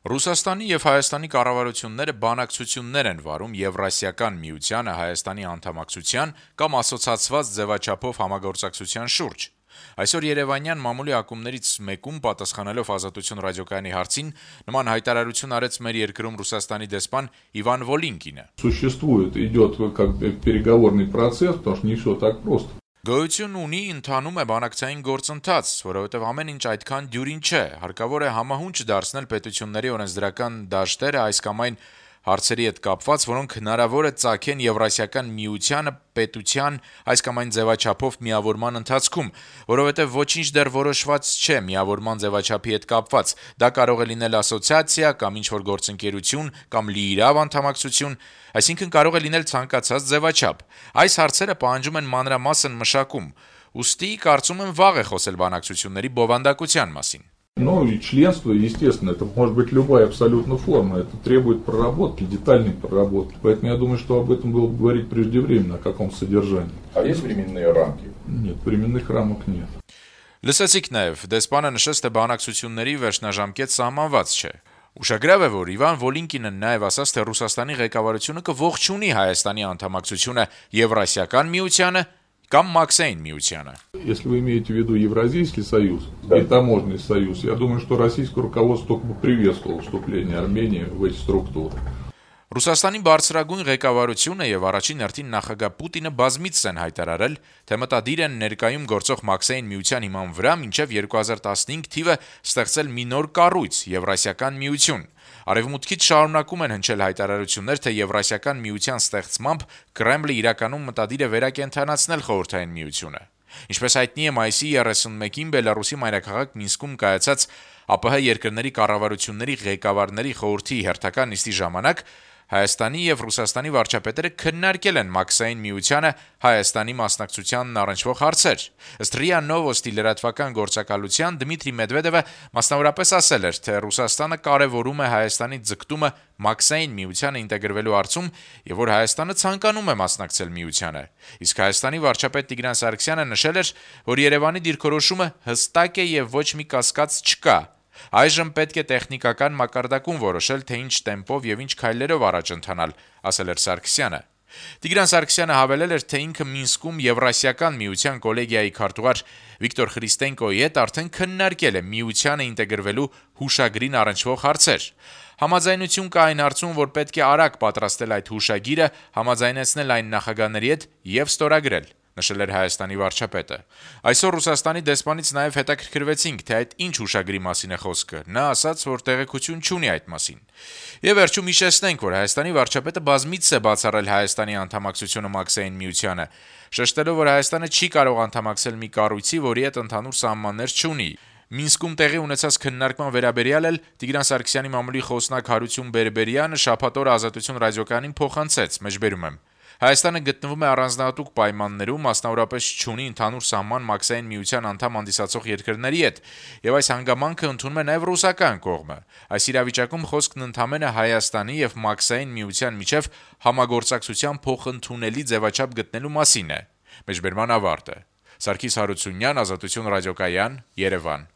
Ռուսաստանի եւ Հայաստանի կառավարությունները բանակցություններ են վարում Եվրասիական միությանը Հայաստանի անդամակցության կամ ասոցացված ձևաչափով համագործակցության շուրջ։ Այսօր Երևանյան մամուլի ակումբներից մեկում պատասխանելով Ազատություն ռադիոկայանի հարցին նման հայտարարություն արեց մեր երկրում Ռուսաստանի դեսպան Իվան Վոլինկինը։ Существует, идет как переговорный процесс, потому что не все так просто. Գոյություն ունի, ընթանում է բանակցային գործընթաց, որովհետև ամեն ինչ այդքան դյուրին չէ, հարկավոր է համահունչ դարձնել պետությունների օրենսդրական դաշտերը այս կամ այն հարցերի հետ կապված, որոնք հնարավոր է ծագեն Եվրասիական միությանը պետության այս կամ այն ձևաչափով միավորման ընթացքում, որովհետև ոչինչ դեռ որոշված չէ միավորման ձևաչափի հետ կապված, դա կարող է լինել ասոցիացիա կամ ինչ-որ գործընկերություն կամ լիիրավ անդամակցություն, այսինքն կարող է լինել ցանկացած ձևաչափ։ Այս հարցերը պահանջում են մանրամասն մշակում, ուստի կարծում եմ վաղ է խոսել բանակցությունների բովանդակության մասին։ Ну и членство, естественно, это может быть любая абсолютно форма, это требует проработки, детальной проработки. Поэтому я думаю, что об этом было бы говорить преждевременно, о каком содержании. А есть временные рамки? Нет, временных рамок нет. Լսեցիք նաև, դեսպանը նշեց, թե բանակցությունների վերջնաժամկետ սահմանված չէ։ Ուշագրավ է, որ Իվան Վոլինկինը նաև ասաց, թե Ռուսաստանի ղեկավարությունը կողջունի Հայաստանի անդամակցությունը Եվրասիական միությանը կամ Մաքսային միությանը։ Если вы имеете в виду Евразийский союз и таможенный союз, я думаю, что российское руководство только бы приветствовало вступление Армении в эти структуры. Ռուսաստանի բարձրագույն ղեկավարությունը եւ առաջին հերթին նախագահ Պուտինը բազմիցս են հայտարարել, թե մտադիր են ներկայում գործող Մաքսային միության հիման վրա մինչեւ 2015 թիվը ստեղծել մի նոր կառույց՝ Եվրասիական միություն։ Արևմուտքից շարունակում են հնչել հայտարարություններ, թե Եվրասիական միության ստեղծմամբ Կրեմլը իրականում մտադիր է վերակենդանացնել խորհրդային միությունը։ Ինչպես հայտնի է, մայիսի 31-ին Բելարուսի մայրաքաղաք Մինսկում կայացած ԱՊՀ երկրների կառավարությունների ղեկավարների խորհրդի հերթական նիստի ժամանակ Հայաստանի եւ Ռուսաստանի վարչապետերը քննարկել են Մաքսային միությանը Հայաստանի մասնակցությանն առնչվող հարցեր։ Ըստ ՌԻԱ Նովոստի լրատվական գործակալության Դմիտրի Մեդվեդևը մասնավորապես ասել էր, թե Ռուսաստանը կարևորում է Հայաստանի ձգտումը Մաքսային միությանը ինտեգրվելու հարցում եւ որ Հայաստանը ցանկանում է մասնակցել միությանը։ Իսկ Հայաստանի վարչապետ Տիգրան Սարգսյանը նշել էր, որ Երևանի դիրքորոշումը հստակ է եւ ոչ մի կասկած չկա։ Այժմ պետք է տեխնիկական մակարդակում որոշել, թե ինչ տեմպով եւ ինչ քայլերով առաջ ընթանալ, ասել էր Սարգսյանը։ Տիգրան Սարգսյանը հավելել էր, թե ինքը Մինսկում Եվրասիական միության կոլեգիայի քարտուղար Վիկտոր Խրիստենկոյի հետ արդեն քննարկել է միությանը ինտեգրվելու հուշագրին առնչվող հարցեր։ Համաձայնություն կա այն հարցում, որ պետք է արագ պատրաստել այդ հուշագիրը, համաձայնեցնել այն նախագահների հետ եւ ստորագրել, նշել էր Հայաստանի վարչապետը։ Այսօր Ռուսաստանի դեսպանից նաև հետաքրքրվեցինք, թե այդ ինչ հուշագրի մասին է խոսքը։ Նա ասաց, որ տեղեկություն չունի այդ մասին։ Եվ վերջում հիշեցնենք, որ Հայաստանի վարչապետը բազմիցս է բացառել Հայաստանի անդամակցությունը Մաքսային միությանը, շեշտելով, որ Հայաստանը չի կարող անդամակցել մի կառույցի, որի հետ ընդհանուր սահմաններ չունի։ Մինսկում տեղի ունեցած քննարկման վերաբերյալ էլ Տիգրան Սարգսյանի մամուլի խոսնակ Հարություն Բերբերյանը շաբաթ օրը Ազատություն ռադիոկայանին փոխանցեց, մեջբերում եմ. Հայաստանը գտնվում է առանձնահատուկ պայմաններում, մասնավորապես չունի ընդհանուր սահման Մաքսային միության անդամ հանդիսացող երկրների հետ, եւ այս հանգամանքը ընդունում է նաեւ ռուսական կողմը։ Այս իրավիճակում խոսքն ընդհանրապես Հայաստանի եւ Մաքսային միության միջև համագործակցության փոխընդունելի ձևաչափ գտնելու մասին է։ Մեջբերման ավարտը։ Սարգիս Հարությունյան, Ազատություն ռադիոկայան, Երևան։